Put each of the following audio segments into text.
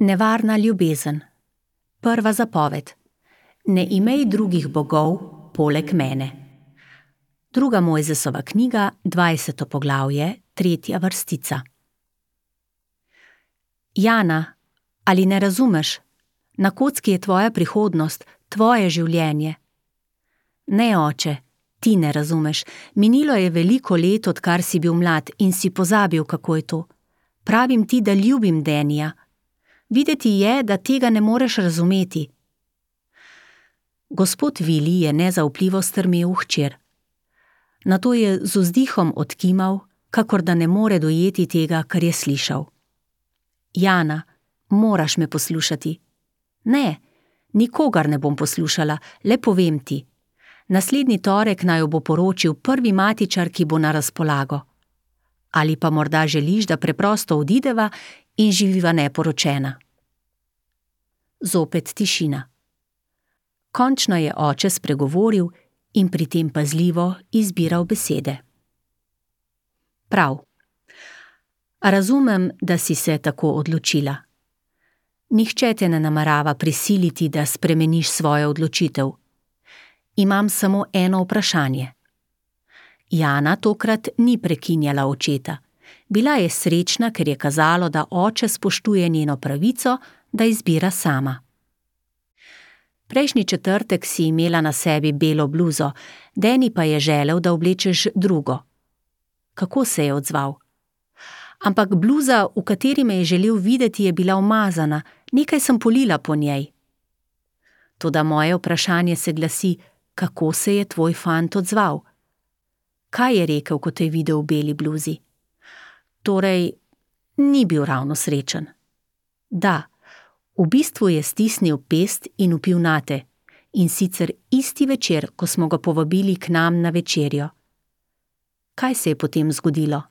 Nevarna ljubezen. Prva zapoved. Ne imej drugih bogov poleg mene. 2. Mojzesova knjiga, 20. poglavje, 3. vrstica. Jana, ali ne razumeš? Na kocki je tvoja prihodnost, tvoje življenje. Ne, oče, ti ne razumeš. Minilo je veliko let, odkar si bil mlad in si pozabil, kako je to. Pravim ti, da ljubim Denija. Videti je, da tega ne moreš razumeti. Gospod Vili je nezaupljivo strmel v hčer. Nato je z vzdihom odkimal, kakor da ne more dojeti tega, kar je slišal. Jana, moraš me poslušati. Ne, nikogar ne bom poslušala, le povem ti. Naslednji torek naj jo bo poročil prvi matičar, ki bo na razpolago. Ali pa morda želiš, da preprosto odideva in živiva neporočena. Zopet tišina. Končno je oče spregovoril in pri tem pazljivo izbiral besede. Prav. Razumem, da si se tako odločila. Nihče te ne namerava prisiliti, da spremeniš svojo odločitev. Imam samo eno vprašanje. Jana tokrat ni prekinjala očeta. Bila je srečna, ker je kazalo, da oče spoštuje njeno pravico, da izbira sama. Prejšnji četrtek si imela na sebi belo bluzo, Deni pa je želel, da oblečeš drugo. Kako se je odzval? Ampak bluza, v kateri me je želel videti, je bila umazana, nekaj sem polila po njej. Toda moje vprašanje se glasi, kako se je tvoj fant odzval? Kaj je rekel, ko te je videl v beli bluzi? Torej, ni bil ravno srečen. Da, v bistvu je stisnil pest in vpil nate, in sicer isti večer, ko smo ga povabili k nam na večerjo. Kaj se je potem zgodilo?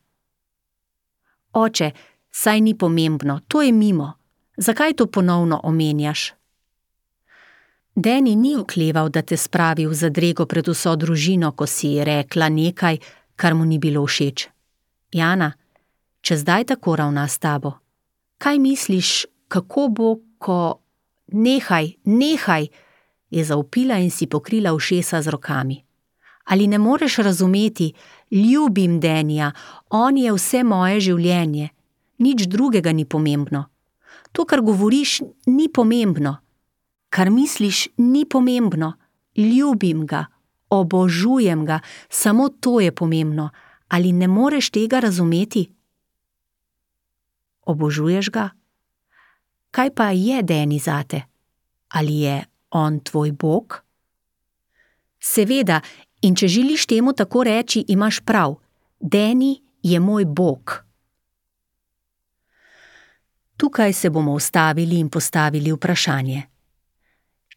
Oče, saj ni pomembno, to je mimo. Zakaj to ponovno omenjaš? Deni ni okleval, da te spravi v zadrego pred vso družino, ko si rekla nekaj, kar mu ni bilo všeč. Jana, če zdaj tako ravna s tabo, kaj misliš, kako bo, ko... Nehaj, je zavpila in si pokrila ušesa z rokami. Ali ne moreš razumeti, ljubim Denija, on je vse moje življenje, nič drugega ni pomembno. To, kar govoriš, ni pomembno. Kar misliš, ni pomembno. Ljubim ga, obožujem ga, samo to je pomembno. Ali ne moreš tega razumeti? Obožuješ ga? Kaj pa je Deni zate? Ali je on tvoj Bog? Seveda, in če želiš temu tako reči, imaš prav. Deni je moj Bog. Tukaj se bomo ustavili in postavili vprašanje.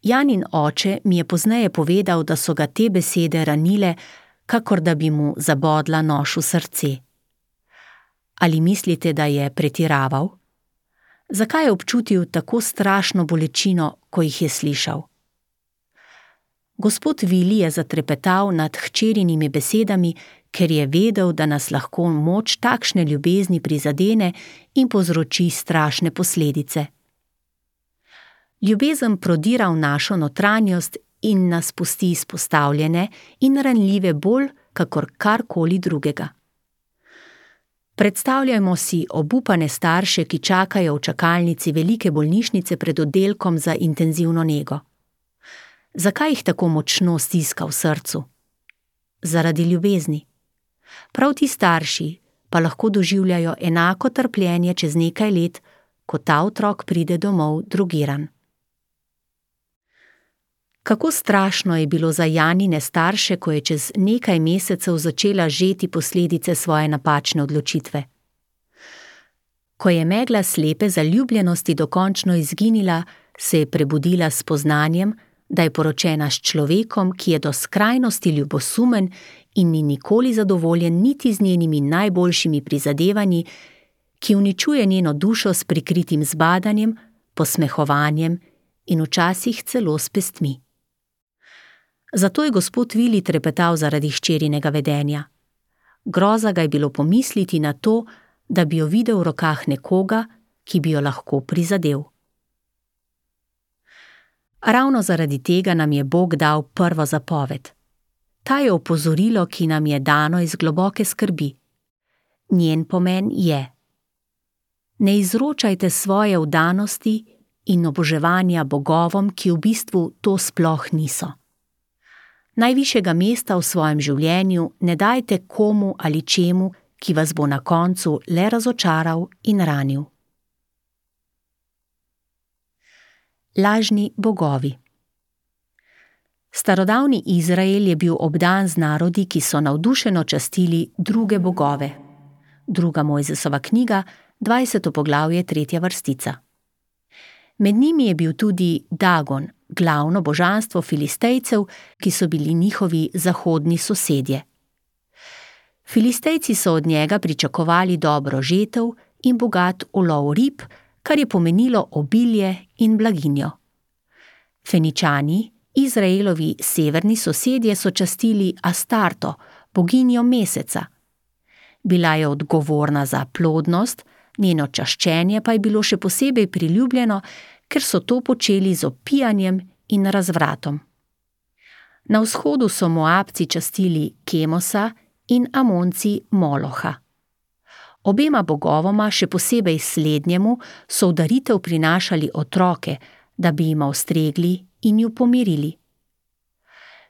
Janin oče mi je pozneje povedal, da so ga te besede ranile, kakor da bi mu zabodla nož v srce. Ali mislite, da je pretiraval? Zakaj je občutil tako strašno bolečino, ko jih je slišal? Gospod Vili je zatrepetal nad hčerinimi besedami, ker je vedel, da nas lahko moč takšne ljubezni prizadene in povzroči strašne posledice. Ljubezen prodira v našo notranjost in nas pusti izpostavljene in ranljive bolj, kakor karkoli drugega. Predstavljajmo si obupane starše, ki čakajo v čakalnici velike bolnišnice pred oddelkom za intenzivno nego. Zakaj jih tako močno stiska v srcu? Zaradi ljubezni. Prav ti starši pa lahko doživljajo enako trpljenje čez nekaj let, ko ta otrok pride domov drogiran. Kako strašno je bilo za Janine starše, ko je čez nekaj mesecev začela žeti posledice svoje napačne odločitve. Ko je megla slepe zaljubljenosti dokončno izginila, se je prebudila s spoznanjem, da je poročena s človekom, ki je do skrajnosti ljubosumen in ni nikoli zadovoljen niti z njenimi najboljšimi prizadevanji, ki uničuje njeno dušo s prikritim zbadanjem, posmehovanjem in včasih celo s pestmi. Zato je gospod Vili trepetal zaradi hčerinega vedenja. Groza ga je bilo pomisliti na to, da bi jo videl v rokah nekoga, ki bi jo lahko prizadel. Ravno zaradi tega nam je Bog dal prvo zapoved. Ta je opozorilo, ki nam je dano iz globoke skrbi. Njen pomen je: ne izročajte svoje vdanosti in oboževanja bogovom, ki v bistvu to sploh niso. Najvišjega mesta v svojem življenju ne dajte komu ali čemu, ki vas bo na koncu le razočaral in ranil. Lažni bogovi. Starodavni Izrael je bil obdan z narodi, ki so navdušeno častili druge bogove. Druga Mojzesova knjiga, 20. poglavje, 3. vrstica. Med njimi je bil tudi Dagon, glavno božanstvo Filistejcev, ki so bili njihovi zahodni sosedje. Filistejci so od njega pričakovali dobro žetev in bogat ulov rib, kar je pomenilo obilje in blaginjo. Feničani, Izraelovi severni sosedje, so častili Astarto, boginjo meseca. Bila je odgovorna za plodnost, njeno čaščenje pa je bilo še posebej priljubljeno, ker so to počeli z opijanjem in razvratom. Na vzhodu so Moabci častili Kemosa in Amonci Moloha. Obema bogovoma, še posebej slednjemu, so v daritev prinašali otroke, da bi jima ustregli in ju pomirili.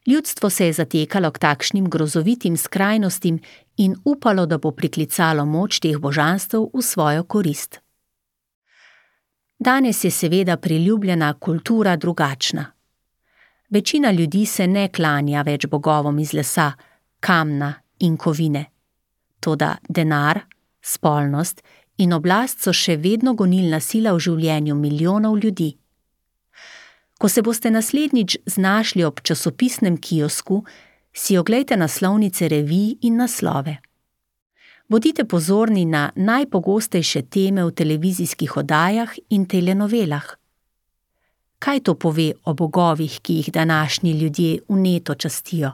Ljudstvo se je zatekalo k takšnim grozovitim skrajnostim in upalo, da bo priklicalo moč teh božanstev v svojo korist. Danes je seveda priljubljena kultura drugačna. Večina ljudi se ne klanja več bogovom iz lesa, kamna in kovine. Toda denar, spolnost in oblast so še vedno gonilna sila v življenju milijonov ljudi. Ko se boste naslednjič znašli ob časopisnem kiosku, si oglejte naslovnice revij in naslove. Bodite pozorni na najpogostejše teme v televizijskih oddajah in telenovelah. Kaj to pove o bogovih, ki jih današnji ljudje vneto častijo?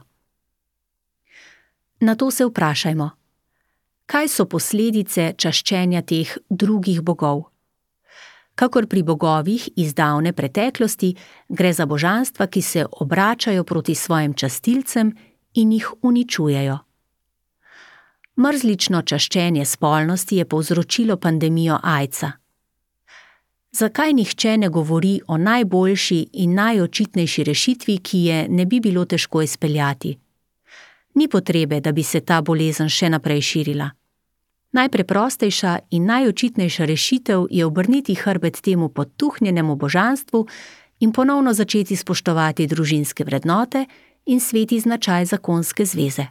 Na to se vprašajmo. Kaj so posledice čaščenja teh drugih bogov? Kakor pri bogovih iz davne preteklosti, gre za božanstva, ki se obračajo proti svojim častilcem in jih uničujejo. Mrzlično čaščenje spolnosti je povzročilo pandemijo aidsa. Zakaj nihče ne govori o najboljši in najočitnejši rešitvi, ki je ne bi bilo težko izpeljati? Ni potrebe, da bi se ta bolezen še naprej širila. Najpreprostejša in najočitnejša rešitev je obrniti hrbet temu potuhnjenemu božanstvu in ponovno začeti spoštovati družinske vrednote in sveti značaj zakonske zveze.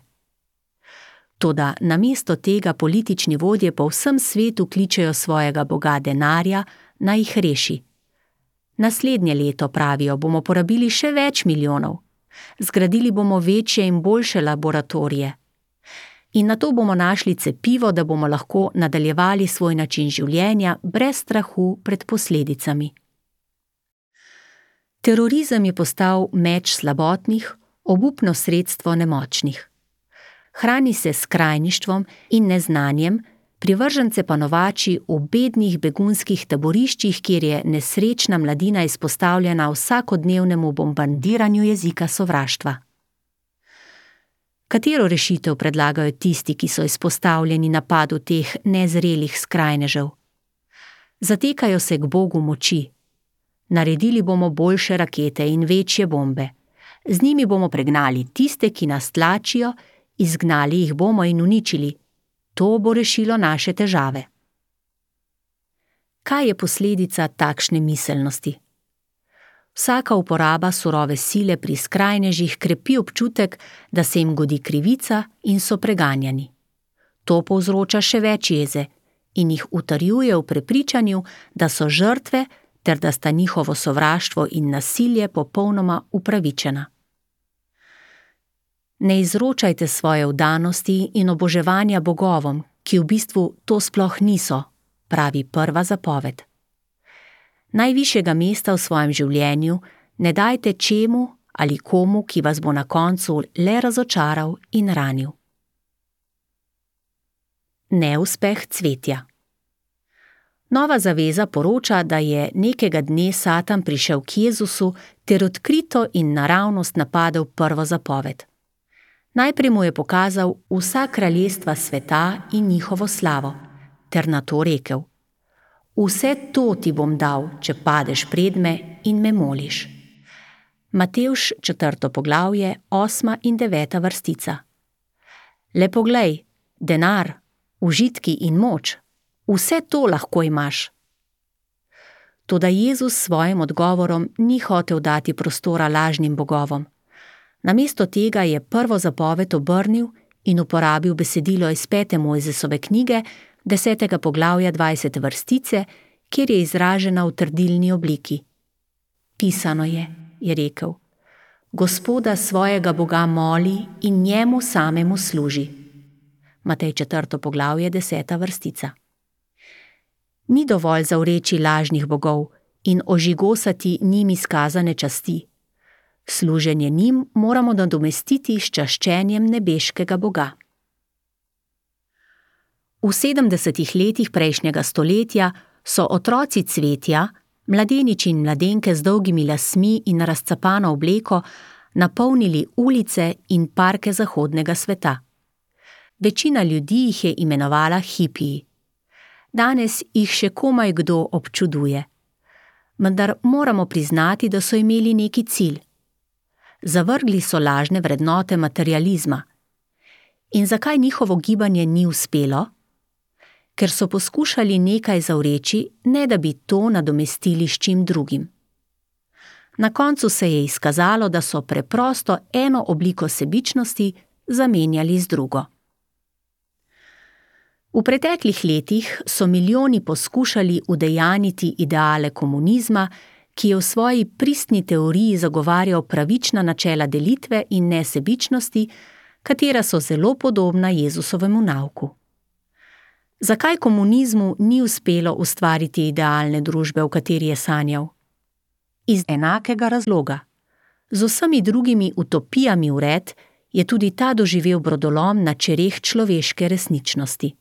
Toda namesto tega politični vodje po vsem svetu kličejo svojega boga denarja, naj jih reši. Naslednje leto, pravijo, bomo porabili še več milijonov. Zgradili bomo večje in boljše laboratorije. In nato bomo našli cepivo, da bomo lahko nadaljevali svoj način življenja brez strahu pred posledicami. Terorizem je postal meč slabotnih, obupno sredstvo nemočnih. Hrani se s skrajništvom in neznanjem, privržence pa novači v bednih begunskih taboriščih, kjer je nesrečna mladina izpostavljena vsakodnevnemu bombardiranju jezika sovraštva. Katero rešitev predlagajo tisti, ki so izpostavljeni napadu teh nezrelih skrajnežev? Zatekajo se k Bogu moči. Naredili bomo boljše rakete in večje bombe. Z njimi bomo pregnali tiste, ki nas tlačijo, izgnali jih bomo in uničili. To bo rešilo naše težave. Kaj je posledica takšne miselnosti? Vsaka uporaba surove sile pri skrajnežih krepi občutek, da se jim godi krivica in so preganjani. To povzroča še več jeze in jih utrjuje v prepričanju, da so žrtve ter da sta njihovo sovraštvo in nasilje popolnoma upravičena. Ne izročajte svoje vdanosti in oboževanja bogovom, ki v bistvu to sploh niso, pravi prva zapoved. Najvišjega mesta v svojem življenju ne dajte čemu ali komu, ki vas bo na koncu le razočaral in ranil. Neuspeh cvetja. Nova zaveza poroča, da je nekega dne Satan prišel k Jezusu ter odkrito in naravnost napadel prvo zapoved. Najprej mu je pokazal vsa kraljestva sveta in njihovo slavo, ter nato rekel: Vse to ti bom dal, če padeš pred me in me moliš. Matevž 4. poglavje, 8. in 9. vrstica. Le poglej, denar, užitki in moč, vse to lahko imaš. Toda Jezus s svojim odgovorom ni hotel dati prostora lažnim bogovom. Namesto tega je prvo zapoved obrnil in uporabil besedilo iz 5. Mojzesove knjige, 10. poglavja 20. vrstice, kjer je izražena v trdilni obliki. Pisano je rekel, Gospoda svojega Boga moli in njemu samemu služi. Matej 4. poglavje 10. vrstica. Ni dovolj zavreči lažnih bogov in ožigosati njim izkazane časti. Služenje njim moramo nadomestiti s čaščenjem nebeškega Boga. V 70. letih prejšnjega stoletja so otroci cvetja, mladeniči in mladenke z dolgimi lasmi in razcapano obleko, napolnili ulice in parke zahodnega sveta. Večina ljudi jih je imenovala hipiji. Danes jih še komaj kdo občuduje. Vendar moramo priznati, da so imeli neki cilj. Zavrgli so lažne vrednote materializma. In zakaj njihovo gibanje ni uspelo? Ker so poskušali nekaj zavreči, ne da bi to nadomestili s čim drugim. Na koncu se je izkazalo, da so preprosto eno obliko sebičnosti zamenjali z drugo. V preteklih letih so milijoni poskušali udejaniti ideale komunizma, ki je v svoji pristni teoriji zagovarjal pravična načela delitve in nesebičnosti, katera so zelo podobna Jezusovemu nauku. Zakaj komunizmu ni uspelo ustvariti idealne družbe, v kateri je sanjal? Iz enakega razloga. Z vsemi drugimi utopijami vred je tudi ta doživel brodolom na čereh človeške resničnosti.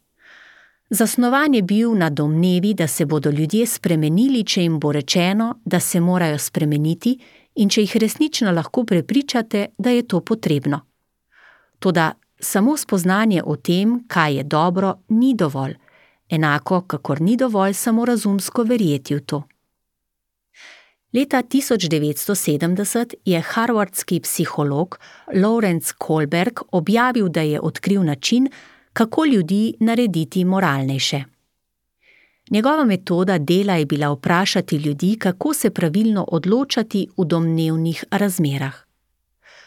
Zasnovan je bil na domnevi, da se bodo ljudje spremenili, če jim bo rečeno, da se morajo spremeniti in če jih resnično lahko prepričate, da je to potrebno. Toda samo spoznanje o tem, kaj je dobro, ni dovolj, enako kakor ni dovolj samo razumsko verjeti v to. Leta 1970 je harvardski psiholog Lawrence Kohlberg objavil, da je odkril način, kako ljudi narediti moralnejše. Njegova metoda dela je bila vprašati ljudi, kako se pravilno odločati v domnevnih razmerah.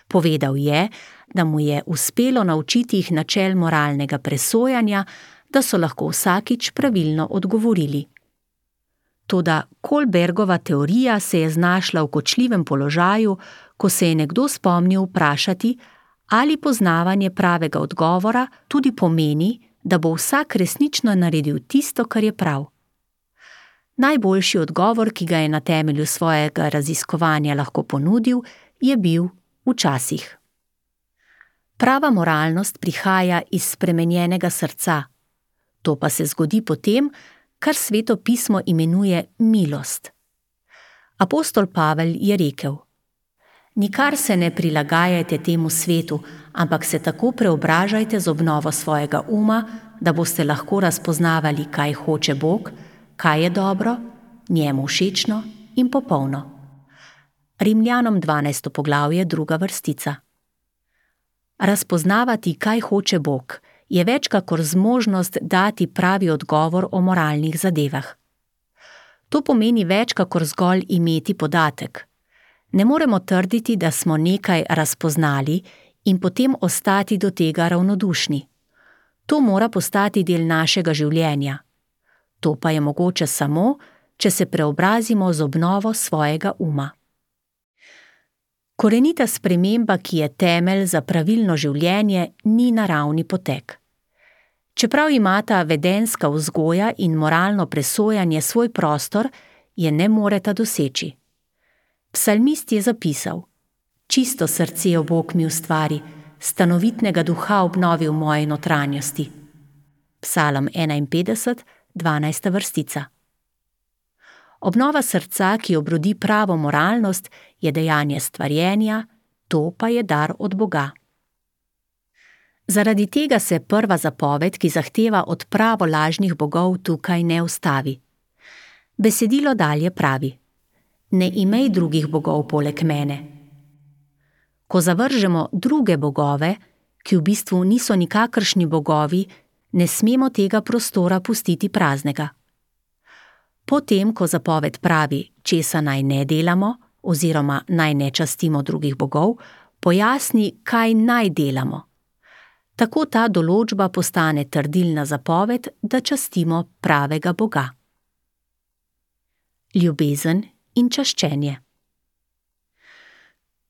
Povedal je, da mu je uspelo naučiti jih načel moralnega presojanja, da so lahko vsakič pravilno odgovorili. Toda Kohlbergova teorija se je znašla v kočljivem položaju, ko se je nekdo spomnil vprašati, ali poznavanje pravega odgovora tudi pomeni, da bo vsak resnično naredil tisto, kar je prav. Najboljši odgovor, ki ga je na temelju svojega raziskovanja lahko ponudil, je bil včasih. Prava moralnost prihaja iz spremenjenega srca. To pa se zgodi potem, kar Sveto pismo imenuje milost. Apostol Pavel je rekel: Nikar se ne prilagajajte temu svetu, ampak se tako preobražajte z obnovo svojega uma, da boste lahko razpoznavali, kaj hoče Bog, kaj je dobro, njemu všečno in popolno. Rimljanom 12. poglavje, 2. vrstica. Razpoznavati, kaj hoče Bog, je več kakor zmožnost dati pravi odgovor o moralnih zadevah. To pomeni več kakor zgolj imeti podatek. Ne moremo trditi, da smo nekaj razpoznali in potem ostati do tega ravnodušni. To mora postati del našega življenja. To pa je mogoče samo, če se preobrazimo z obnovo svojega uma. Korenita sprememba, ki je temelj za pravilno življenje, ni naravni potek. Čeprav imata vedenjska vzgoja in moralno presojanje svoj prostor, je ne moreta doseči. Psalmist je zapisal: Čisto srce o Bog mi ustvari, stanovitnega duha obnovi v moji notranjosti. Psalm 51, 12. vrstica. Obnova srca, ki obrodi pravo moralnost, je dejanje stvarjenja, to pa je dar od Boga. Zaradi tega se prva zapoved, ki zahteva odpravo lažnih bogov, tukaj ne ustavi. Besedilo dalje pravi: ne imej drugih bogov poleg mene. Ko zavržemo druge bogove, ki v bistvu niso nikakršni bogovi, ne smemo tega prostora pustiti praznega. Potem, ko zapoved pravi, česa naj ne delamo oziroma naj ne častimo drugih bogov, pojasni, kaj naj delamo. Tako ta določba postane trdilna zapoved, da častimo pravega Boga. Ljubezen in čaščenje.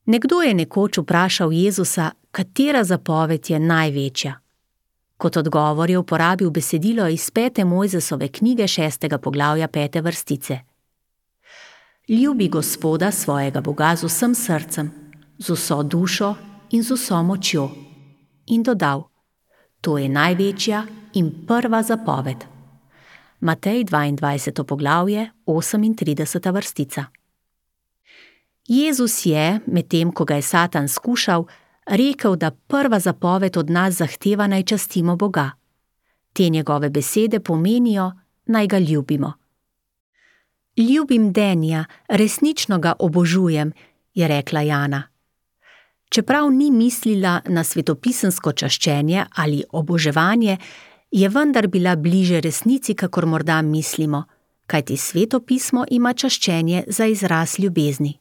Nekdo je nekoč vprašal Jezusa, katera zapoved je največja. Kot odgovor je uporabil besedilo iz 5. Mojzesove knjige 6. poglavja 5. vrstice. Ljubi Gospoda svojega Boga z vsem srcem, z vso dušo in z vso močjo. In dodal: to je največja in prva zapoved. Matej 22. poglavje 38. vrstica. Jezus je, medtem ko ga je Satan skušal, rekel, da prva zapoved od nas zahteva, naj častimo Boga. Te njegove besede pomenijo, naj ga ljubimo. Ljubim Denija, resnično ga obožujem, je rekla Jana. Čeprav ni mislila na svetopisemsko čaščenje ali oboževanje, je vendar bila bliže resnici, kakor morda mislimo, kajti svetopismo ima čaščenje za izraz ljubezni.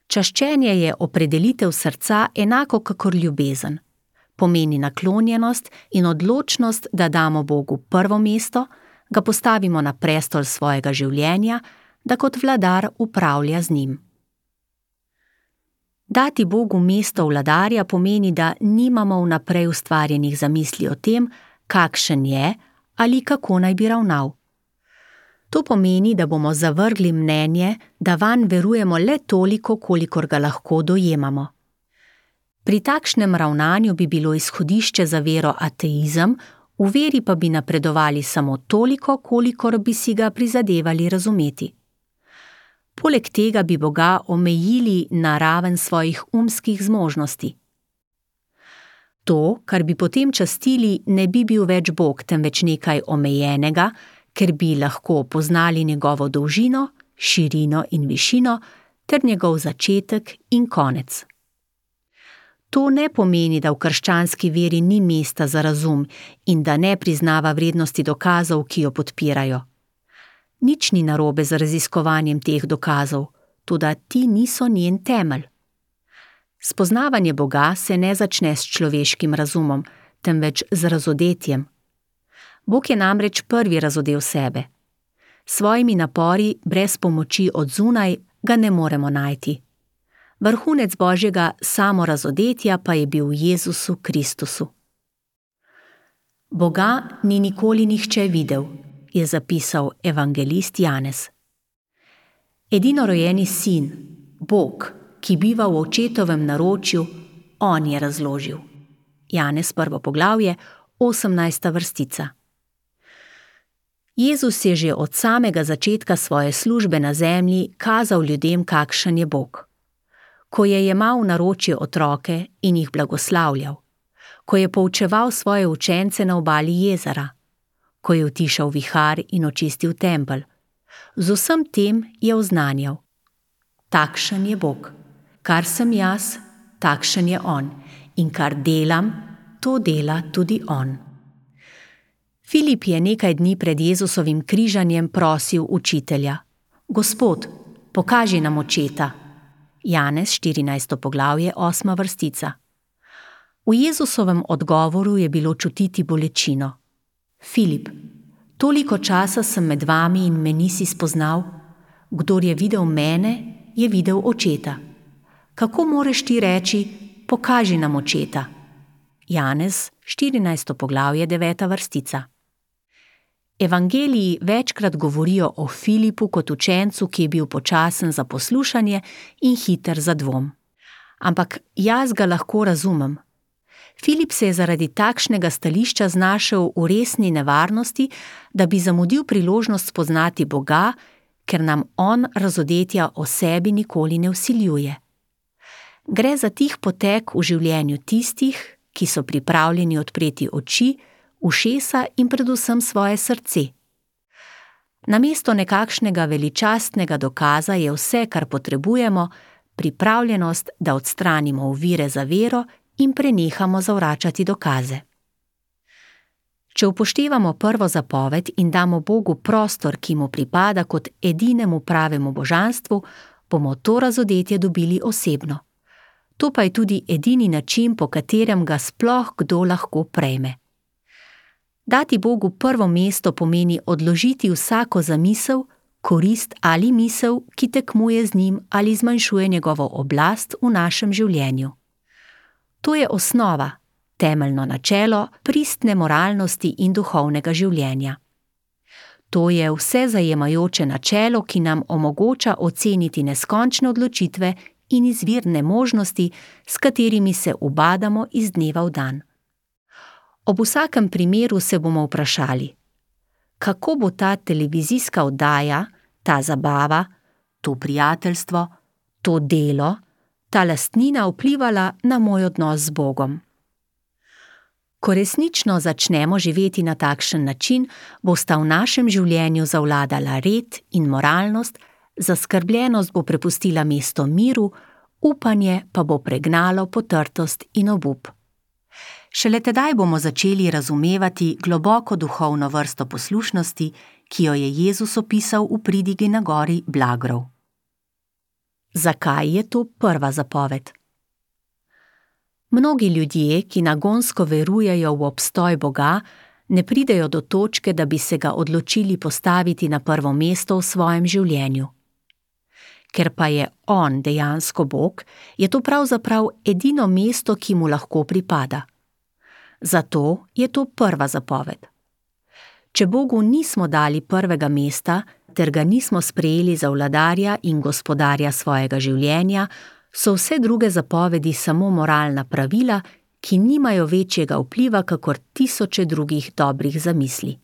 Čaščenje je opredelitev srca enako kakor ljubezen. Pomeni naklonjenost in odločnost, da damo Bogu prvo mesto, ga postavimo na prestol svojega življenja, da kot vladar upravlja z njim. Dati Bogu mesto vladarja pomeni, da nimamo vnaprej ustvarjenih zamisli o tem, kakšen je ali kako naj bi ravnal. To pomeni, da bomo zavrgli mnenje, da vanj verujemo le toliko, kolikor ga lahko dojemamo. Pri takšnem ravnanju bi bilo izhodišče za vero ateizem, v veri pa bi napredovali samo toliko, kolikor bi si ga prizadevali razumeti. Poleg tega bi Boga omejili na raven svojih umskih zmožnosti. To, kar bi potem častili, ne bi bil več Bog, temveč nekaj omejenega, ker bi lahko poznali njegovo dolžino, širino in višino ter njegov začetek in konec. To ne pomeni, da v krščanski veri ni mesta za razum in da ne priznava vrednosti dokazov, ki jo podpirajo. Nič ni narobe z raziskovanjem teh dokazov, toda ti niso njen temelj. Spoznavanje Boga se ne začne s človeškim razumom, temveč z razodetjem. Bog je namreč prvi razodel sebe. S svojimi napori, brez pomoči od zunaj, ga ne moremo najti. Vrhunec Božjega samorazodetja pa je bil v Jezusu Kristusu. Boga ni nikoli nihče videl, je zapisal evangelist Janez. Edinorojeni sin, Bog, ki biva v očetovem naročju, on je razložil. Janez 1. poglavje, 18. vrstica. Jezus je že od samega začetka svoje službe na zemlji kazal ljudem, kakšen je Bog. Ko je jemal v naročje otroke in jih blagoslavljal, ko je poučeval svoje učence na obali jezera, ko je utišal vihar in očistil tempelj, z vsem tem je oznanjal: takšen je Bog, kar sem jaz, takšen je on, in kar delam, to dela tudi on. Filip je nekaj dni pred Jezusovim križanjem prosil učitelja: Gospod, pokaži nam očeta. Janez 14. poglavje 8. vrstica. V Jezusovem odgovoru je bilo čutiti bolečino. Filip, toliko časa sem med vami in me nisi spoznal, kdor je videl mene, je videl očeta. Kako moreš ti reči, pokaži nam očeta? Janez 14. poglavje 9. vrstica. Evangeliji večkrat govorijo o Filipu kot učencu, ki je bil počasen za poslušanje in hiter za dvom. Ampak jaz ga lahko razumem. Filip se je zaradi takšnega stališča znašel v resni nevarnosti, da bi zamudil priložnost spoznati Boga ker nam on razodetja o sebi nikoli ne vsiljuje. Gre za tih potek v življenju tistih, ki so pripravljeni odpreti oči, ušesa in predvsem svoje srce. Namesto nekakšnega veličastnega dokaza je vse, kar potrebujemo, pripravljenost, da odstranimo ovire za vero in prenehamo zavračati dokaze. Če upoštevamo prvo zapoved in damo Bogu prostor, ki mu pripada kot edinemu pravemu božanstvu, bomo to razodetje dobili osebno. To pa je tudi edini način, po katerem ga sploh kdo lahko prejme. Dati Bogu prvo mesto pomeni odložiti vsako zamisel, korist ali misel, ki tekmuje z njim ali zmanjšuje njegovo oblast v našem življenju. To je osnova, temeljno načelo pristne moralnosti in duhovnega življenja. To je vsezajemajoče načelo, ki nam omogoča oceniti neskončne odločitve in izvirne možnosti, s katerimi se ubadamo iz dneva v dan. Ob vsakem primeru se bomo vprašali, kako bo ta televizijska oddaja, ta zabava, to prijateljstvo, to delo, ta lastnina vplivala na moj odnos z Bogom. Ko resnično začnemo živeti na takšen način, bosta v našem življenju zavladala red in moralnost, zaskrbljenost bo prepustila mesto miru, upanje pa bo pregnalo potrtost in obup. Šele tedaj bomo začeli razumevati globoko duhovno vrsto poslušnosti, ki jo je Jezus opisal v pridigi na gori Blagrov. Zakaj je to prva zapoved? Mnogi ljudje, ki nagonsko verujejo v obstoj Boga, ne pridejo do točke, da bi se ga odločili postaviti na prvo mesto v svojem življenju. Ker pa je on dejansko Bog, je to pravzaprav edino mesto, ki mu lahko pripada. Zato je to prva zapoved. Če Bogu nismo dali prvega mesta, ter ga nismo sprejeli za vladarja in gospodarja svojega življenja, so vse druge zapovedi samo moralna pravila, ki nimajo večjega vpliva kakor tisoče drugih dobrih zamisli.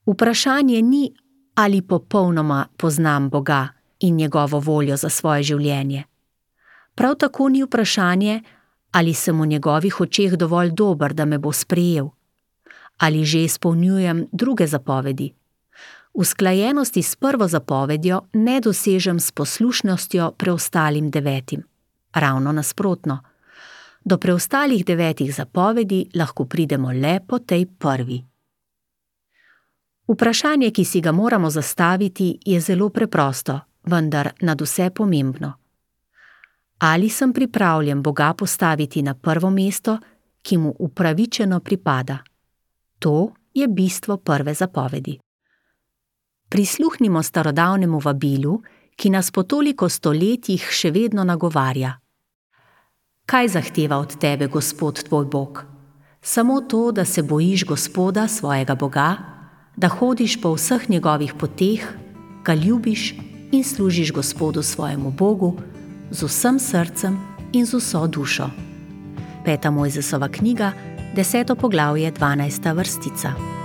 Vprašanje ni, ali popolnoma poznam Boga in njegovo voljo za svoje življenje. Prav tako ni vprašanje, ali sem v njegovih očeh dovolj dober, da me bo sprejel, ali že izpolnjujem druge zapovedi. Usklajenosti s prvo zapovedjo ne dosežem s poslušnostjo preostalim 9. Ravno nasprotno. Do preostalih 9 zapovedi lahko pridemo le po tej prvi. Vprašanje, ki si ga moramo zastaviti, je zelo preprosto, vendar nadvse pomembno. Ali sem pripravljen Boga postaviti na prvo mesto, ki mu upravičeno pripada? To je bistvo prve zapovedi. Prisluhnimo starodavnemu vabilu, ki nas po toliko stoletjih še vedno nagovarja. Kaj zahteva od tebe Gospod tvoj Bog? Samo to, da se bojiš Gospoda, svojega Boga, da hodiš po vseh njegovih poteh, ga ljubiš in služiš Gospodu svojemu Bogu z vsem srcem in z vso dušo. 5. Mojzesova knjiga, 10. poglavje, 12. vrstica.